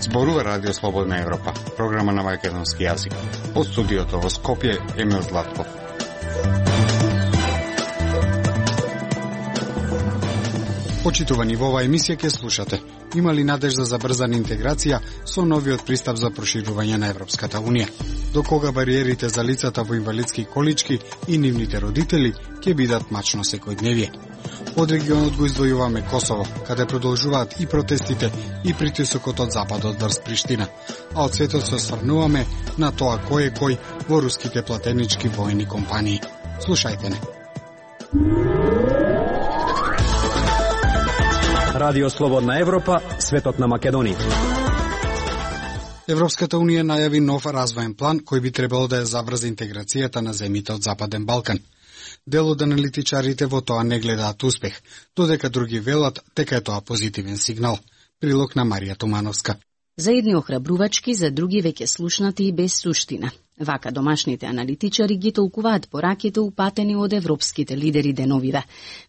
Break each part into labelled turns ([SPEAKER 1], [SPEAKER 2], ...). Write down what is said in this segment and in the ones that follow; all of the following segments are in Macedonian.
[SPEAKER 1] Зборува Радио Слободна Европа, програма на македонски јазик. Од студиото во Скопје, Емил Златков. Почитувани, во оваа емисија ќе слушате: има ли надежда за брзана интеграција со новиот пристап за проширување на Европската Унија? До кога бариерите за лицата во инвалидски колички и нивните родители ќе бидат мачно секојдневие? Од регионот го издвојуваме Косово, каде продолжуваат и протестите и притисокот од западот врз Приштина, а од светот се осврнуваме на тоа кој е кој во руските платенички војни компании. Слушајте не.
[SPEAKER 2] Радио Слободна Европа, светот на Македонија.
[SPEAKER 1] Европската Унија најави нов развоен план кој би требало да ја заврзе интеграцијата на земјите од Западен Балкан. Дел од аналитичарите во тоа не гледаат успех, додека други велат дека е тоа позитивен сигнал. Прилог на Марија Тумановска.
[SPEAKER 3] За едни охрабрувачки, за други веќе слушнати и без суштина. Вака домашните аналитичари ги толкуваат пораките упатени од европските лидери деновиве.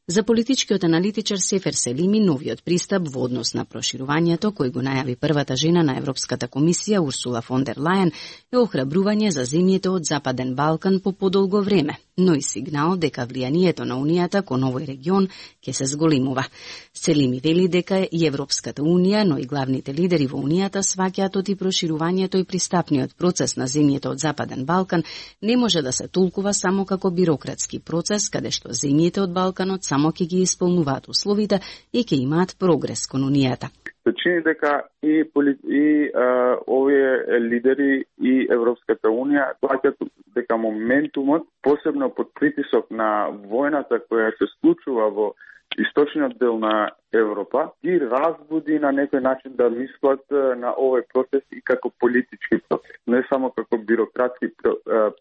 [SPEAKER 3] За политичкиот аналитичар Сефер Селими, новиот пристап во однос на проширувањето, кој го најави првата жена на Европската комисија Урсула фон дер Лајен, е охрабрување за земјите од Западен Балкан по подолго време, но и сигнал дека влијанието на Унијата кон овој регион ќе се зголемува. Селими вели дека и Европската Унија, но и главните лидери во Унијата сваќаат од и проширувањето и пристапниот процес на земјите од Западен Балкан не може да се толкува само како бирократски процес, каде што земјите од Балканот само ќе ги исполнуваат условите и ќе имаат прогрес кон Унијата.
[SPEAKER 4] Се чини дека и овие лидери и Европската Унија плаќаат дека моментумот, посебно под притисок на војната која се случува во источниот дел на Европа, ги разбуди на некој начин да мислат на овој процес и како политички процес, не само како бирократски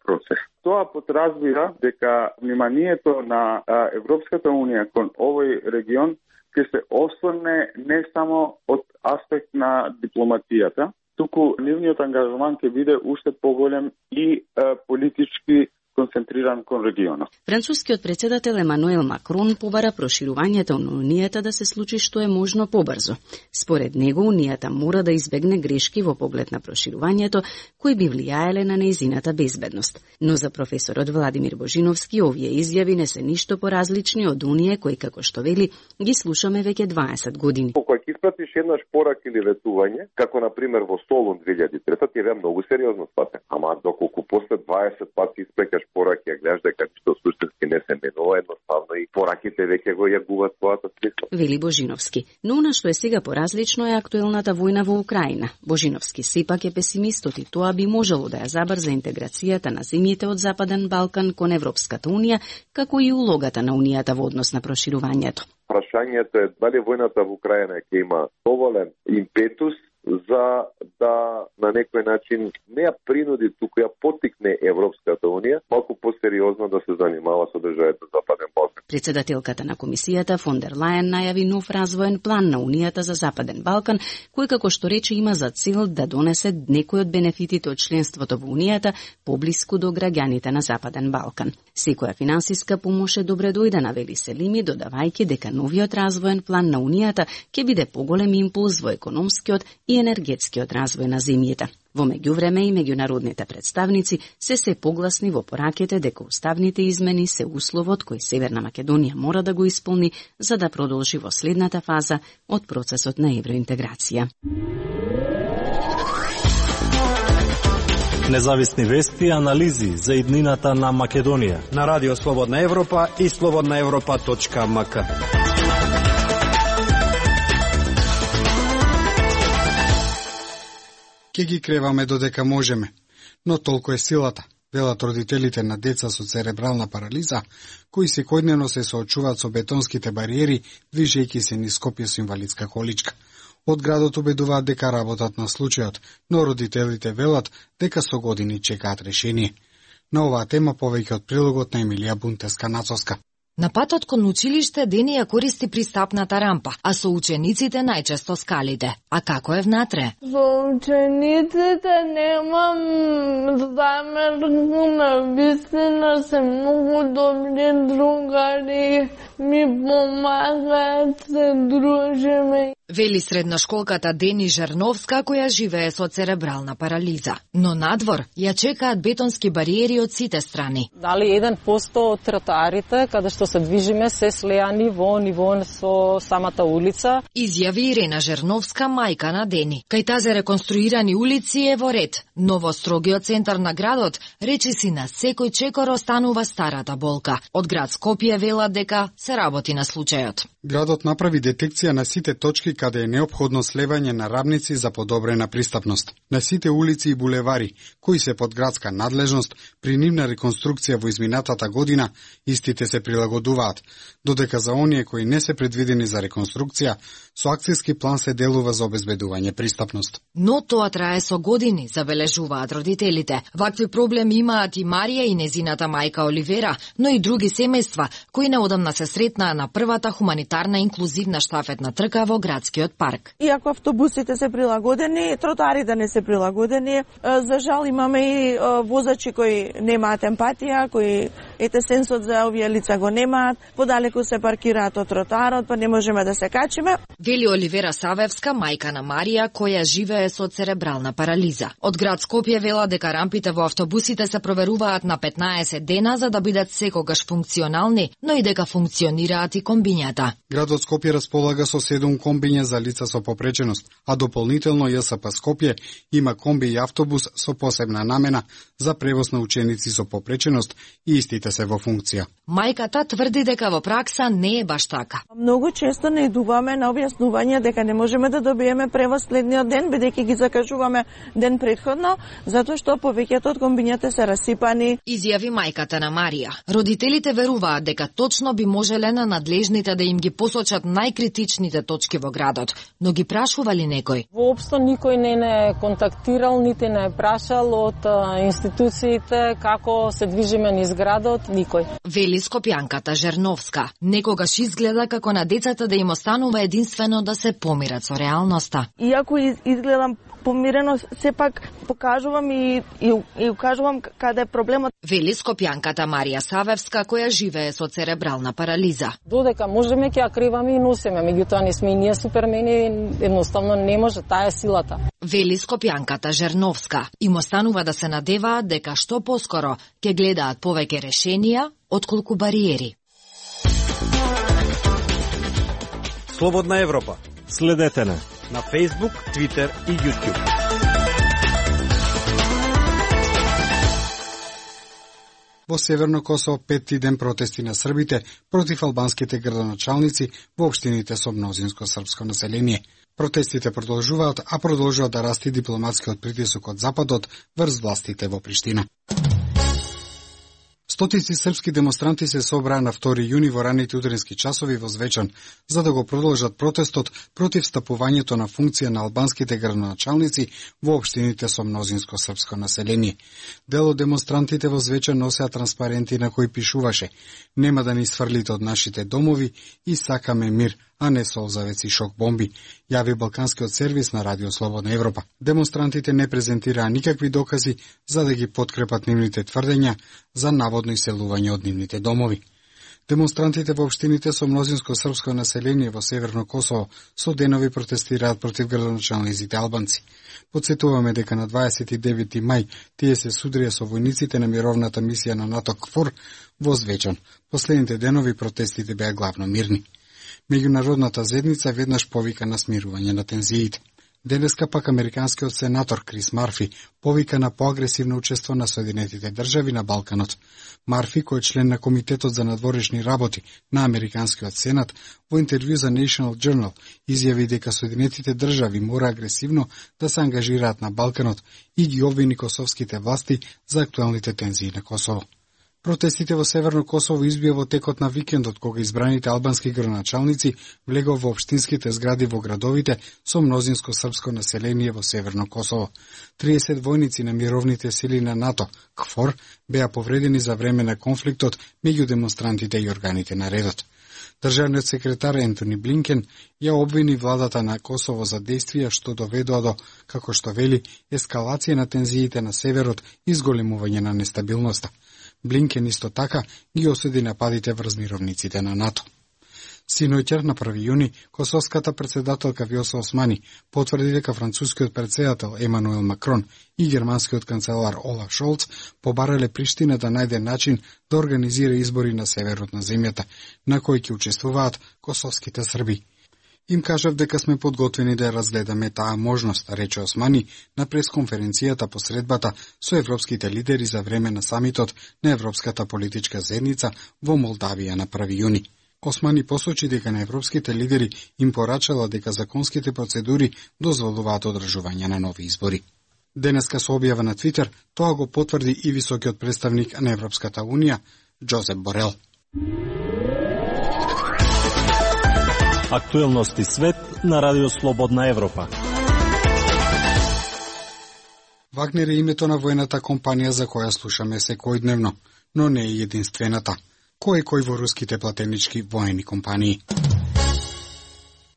[SPEAKER 4] процес. Тоа подразбира дека вниманието на Европската Унија кон овој регион ќе се осврне не само од аспект на дипломатијата, туку нивниот ангажман ќе биде уште поголем и политички концентриран кон регионот.
[SPEAKER 3] Францускиот председател Емануел Макрон побара проширувањето на Унијата да се случи што е можно побрзо. Според него, Унијата мора да избегне грешки во поглед на проширувањето, кои би влијаеле на нејзината безбедност. Но за професорот Владимир Божиновски, овие изјави не се ништо поразлични од оние кои, како што вели, ги слушаме веќе 20 години.
[SPEAKER 5] Кога ќе испратиш еднаш порак или ветување, како на пример во Солун 2003, ти е многу сериозно сватен. Ама доколку после 20 пати испрекаш пораки, ја гледаш дека ништо суштински не се менува, едноставно и пораките веќе го јагуваат својата смисла.
[SPEAKER 3] Вели Божиновски. Но она што е сега поразлично е актуелната војна во Украина. Божиновски сепак е песимистот и тоа би можело да ја забрза интеграцијата на земјите од Западен Балкан кон Европската Унија, како и улогата на Унијата во однос на проширувањето.
[SPEAKER 5] Прашањето е дали војната во Украина ќе има доволен импетус за да на некој начин не ја принуди, туку ја поттикне Европската Унија малку посериозно да се занимава со државите Западен Балкан.
[SPEAKER 3] Председателката на комисијата фон дер Лајен најави нов развоен план на Унијата за Западен Балкан, кој како што рече има за цел да донесе некој од бенефитите од членството во Унијата поблиску до граѓаните на Западен Балкан. Секоја финансиска помош е добре дојдена, вели Селими, додавајќи дека новиот развоен план на Унијата ќе биде поголем импулс во економскиот и енергетскиот развој на земјите. Во меѓувреме и меѓународните представници се погласни во пораките дека уставните измени се условот кој Северна Македонија мора да го исполни за да продолжи во следната фаза од процесот на евроинтеграција.
[SPEAKER 2] Независни вести и анализи за иднината на Македонија на Радио Слободна Европа и slobodnaevropa.mk.
[SPEAKER 1] Ке ги креваме додека можеме, но толку е силата, велат родителите на деца со церебрална парализа, кои секојдневно се соочуваат со бетонските бариери, движејќи се низ Скопје со инвалидска количка. Од градот убедуваат дека работат на случајот, но родителите велат дека со години чекаат решение. На оваа тема повеќе од прилогот на Емилија Бунтеска-Нацовска.
[SPEAKER 6] На патот кон училиште Дени ја користи пристапната рампа, а со учениците најчесто скалите. А како е внатре?
[SPEAKER 7] Со учениците немам замерку, навистина се многу добри другари, ми помагаат, се дружиме.
[SPEAKER 6] Вели средношколката Дени Жерновска, која живее со церебрална парализа. Но надвор ја чекаат бетонски бариери од сите страни.
[SPEAKER 8] Дали 1% од тротоарите каде што се движиме се слеани во ниво со самата улица.
[SPEAKER 6] Изјави Ирена Жерновска, мајка на Дени. Кај тази реконструирани улици е во ред, но во строгиот центар на градот речиси на секој чекор останува старата болка. Од град Скопје велат дека се работи на случајот.
[SPEAKER 1] Градот направи детекција на сите точки каде е неопходно слевање на рамници за подобрена пристапност. На сите улици и булевари, кои се под градска надлежност, при нивна реконструкција во изминатата година, истите се прилагодуваат, додека за оние кои не се предвидени за реконструкција, со акцијски план се делува за обезбедување пристапност.
[SPEAKER 6] Но тоа трае со години, забележуваат родителите. Вакви проблеми имаат и Марија и незината мајка Оливера, но и други семејства, кои неодамна се сретнаа на првата хуманитарна инклузивна штафетна трка во градскиот парк.
[SPEAKER 9] Иако автобусите се прилагодени, тротоарите не се прилагодени. За жал имаме и возачи кои немаат емпатија, кои сенсот за овие лица го немаат, подалеку се паркираат од тротоарот, па не можеме да се качиме.
[SPEAKER 6] Вели Оливера Савевска, мајка на Марија, која живее со церебрална парализа. Од град Скопје вела дека рампите во автобусите се проверуваат на 15 дена за да бидат секогаш функционални, но и дека функционираат и комбињата.
[SPEAKER 1] Градот Скопје располага со 7 комбиња за лица со попреченост, а дополнително ЈСП Скопје има комби и автобус со посебна намена за превоз на ученици со попреченост и истите се во функција.
[SPEAKER 6] Мајката тврди дека во пракса не е баш така.
[SPEAKER 9] Многу често не идуваме на објаснување дека не можеме да добиеме превоз следниот ден, бидејќи ги закажуваме ден претходно, затоа што повеќето од комбињата се расипани.
[SPEAKER 6] Изјави мајката на Марија. Родителите веруваат дека точно би можеле на надлежните да им ги посочат најкритичните точки во градот, но ги прашували некој?
[SPEAKER 8] Воопшто никој не контактирал, нити не прашал од институциите како се движиме низ градот, никој.
[SPEAKER 6] Вели скопјанката Жерновска. Некогаш изгледа како на децата да им останува единствено да се помират со реалноста.
[SPEAKER 9] Иако изгледам помирено, сепак покажувам и укажувам каде е проблемот.
[SPEAKER 6] Вели скопјанката Марија Савевска, која живее со церебрална парализа.
[SPEAKER 8] Додека можеме ќе ја криваме и носиме, меѓутоа не сме и ние супермени, едноставно не може, таа е силата.
[SPEAKER 6] Вели скопјанката Жерновска. Им останува да се надеваат дека што поскоро ќе гледаат повеќе решенија отколку бариери.
[SPEAKER 2] Слободна Европа. Следете на Facebook, Twitter и YouTube.
[SPEAKER 1] Во Северно Косово петти ден протести на србите против албанските градоначалници во општините со мнозинско српско население. Протестите продолжуваат, а продолжува да расти дипломатскиот притисок од Западот врз властите во Приштина. Стотици српски демонстранти се собраа на 2 јуни во раните утрински часови во Звечан, за да го продолжат протестот против стапувањето на функција на албанските градоначалници во општините со мнозинско српско население. Дел од демонстрантите во Звечан носеа транспаренти на кои пишуваше: "Нема да ни сврлите од нашите домови и сакаме мир, а не солзавеци шок бомби", јави Балканскиот сервис на Радио Слободна Европа. Демонстрантите не презентираа никакви докази за да ги подкрепат нивните тврдења за наводно иселување од нивните домови. Демонстрантите во општините со мнозинско српско население во Северно Косово со денови протестираат против градоначалниците албанци. Подсетуваме дека на 29 мај тие се судрија со војниците на мировната мисија на НАТО КФОР во Звечан. Последните денови протестите беа главно мирни. Меѓународната заедница веднаш повика на смирување на тензиите. Денеска пак американскиот сенатор Крис Марфи повика на поагресивно учество на Соединетите држави на Балканот. Марфи, кој е член на Комитетот за надворешни работи на Американскиот сенат, во интервју за National Journal изјави дека Соединетите држави мора агресивно да се ангажираат на Балканот и ги обвини косовските власти за актуелните тензии на Косово. Протестите во Северно Косово избија во текот на викендот, кога избраните албански градоначалници влегоа во општинските згради во градовите со мнозинско српско население во Северно Косово. 30 војници на мировните сили на НАТО, КФОР, беа повредени за време на конфликтот меѓу демонстрантите и органите на редот. Државниот секретар Ентони Блинкен ја обвини владата на Косово за действија што доведоа до, како што вели, ескалација на тензиите на северот и зголемување на нестабилноста. Блинкен исто така ги осуди нападите врз мировниците на НАТО. Синоќер на 1 јуни, косовската председателка Вјоса Османи потврди дека францускиот председател Емануел Макрон и германскиот канцелар Олаф Шолц побарале Приштина да најде начин да организира избори на северот на земјата, на кои ќе учествуваат косовските срби. Им кажав дека сме подготвени да разгледаме таа можност, рече Османи на пресконференцијата по средбата со европските лидери за време на самитот на Европската политичка заедница во Молдавија на 1 јуни. Османи посочи дека на европските лидери им порачала дека законските процедури дозволуваат одржување на нови избори. Денеска со објава на Твитер, тоа го потврди и високиот представник на Европската Унија, Джозеп Борел.
[SPEAKER 2] Актуелности свет на Радио Слободна Европа.
[SPEAKER 1] Вагнер е името на воената компанија за која слушаме секојдневно, но не е единствената. Кој во руските платенички воени компании.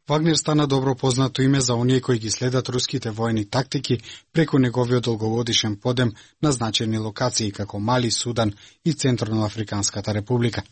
[SPEAKER 1] Вагнер стана добро познато име за оние кои ги следат руските воени тактики преку неговиот долгогодишен подем на значени локации како Мали, Судан и Централно-Африканската република.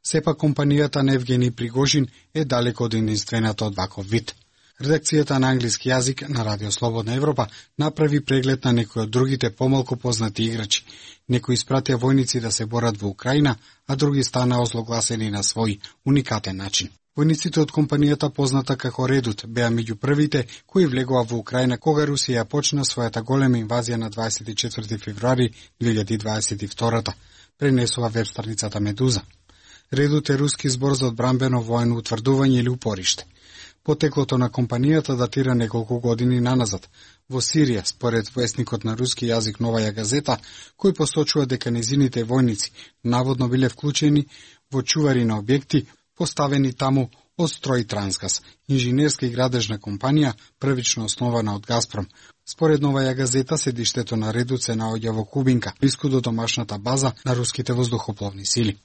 [SPEAKER 1] Сепак компанијата на Евгени Пригожин е далеко од единствената од ваков вид. Редакцијата на англиски јазик на Радио Слободна Европа направи преглед на некои од другите помалку познати играчи. Некои испратија војници да се борат во Украина, а други станаа озлогласени на свој уникатен начин. Војниците од компанијата позната како Редут беа меѓу првите кои влегоа во Украина кога Русија почна својата голема инвазија на 24 февруари 2022, пренесува веб страницата Медуза. Редут е руски збор за одбранбено воено утврдување или упориште. Потеклото на компанијата датира неколку години наназад. Во Сирија, според весникот на руски јазик Новаја газета, кој посочува дека незините војници наводно биле вклучени во чувари на објекти поставени таму од Строј Трансгаз, инженерска и градежна компанија, првично основана од Газпром. Според Новаја газета, седиштето на Редут се наоѓа во Кубинка, блиску до домашната база на руските воздухопловни сили.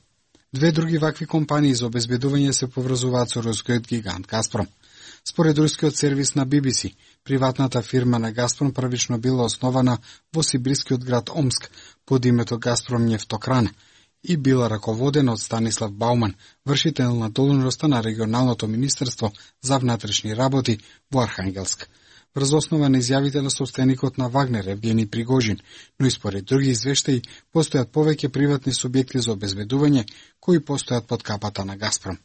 [SPEAKER 1] Две други вакви компании за обезбедување се поврзуваат со рускиот гигант Газпром. Според рускиот сервис на BBC, приватната фирма на Газпром првично била основана во сибирскиот град Омск под името Газпром Нефтокран и била раководена од Станислав Бауман, вршител на должноста на регионалното министерство за внатрешни работи во Архангелск. Врз основа на изјавите на собственикот на Вагнер, Евгени Пригожин, но и според други извештаи, постојат повеќе приватни субјекти за обезбедување кои постојат под капата на Газпром.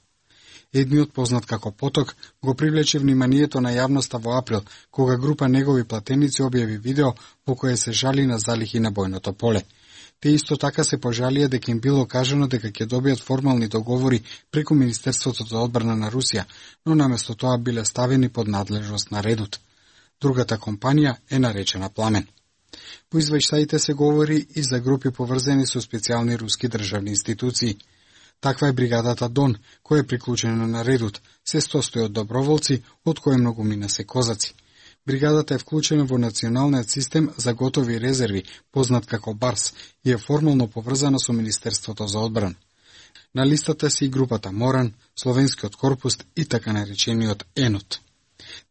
[SPEAKER 1] Едниот, познат како Поток, го привлече вниманието на јавноста во април, кога група негови платеници објави видео во кое се жали на залихи на бојното поле. Те исто така се пожалија дека им било кажано дека ќе добијат формални договори преку Министерството за одбрана на Русија, но наместо тоа биле ставени под надлежност на Редут. Другата компанија е наречена Пламен. Во извештаите се говори и за групи поврзани со специјални руски државни институции. Таква е бригадата Дон, која е приклучена на Редут, се состои од доброволци, од кои многумина се козаци. Бригадата е вклучена во националниот систем за готови резерви, познат како БАРС, и е формално поврзана со Министерството за одбрана. На листата се и групата Моран, Словенскиот корпус и така наречениот ЕНОТ.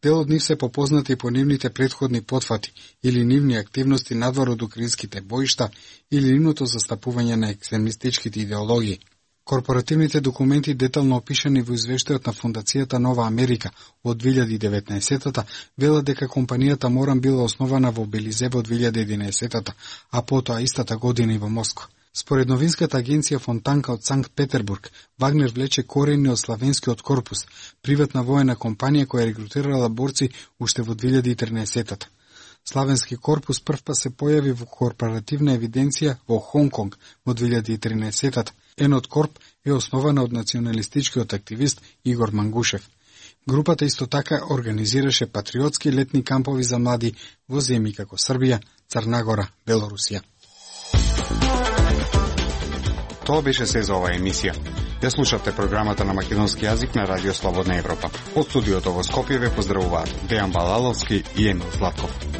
[SPEAKER 1] Дел од нив се попознати по нивните претходни потфати или нивни активности надвор од украинските боишта или нивното застапување на екстремистичките идеологии. Корпоративните документи детално опишани во извештајот на Фондацијата Нова Америка од 2019-та велат дека компанијата Моран била основана во Белизе во 2011-та, а потоа истата година и во Москва. Според новинската агенција Фонтанка од Санкт Петербург, Вагнер влече корени од Славенскиот корпус, приватна воена компанија која регрутирала борци уште во 2013-та. Славенски корпус првпат се појави во корпоративна евиденција во Хонконг во 2013-та. Енот Корп е основана од националистичкиот активист Игор Мангушев. Групата исто така организираше патриотски летни кампови за млади во земји како Србија, Црна Гора, Белорусија. Тоа беше се за оваа емисија. Ја слушавте програмата на македонски јазик на Радио Слободна Европа. Од студиото во Скопје ве поздравуваат Дејан Балаловски и Емил Златков.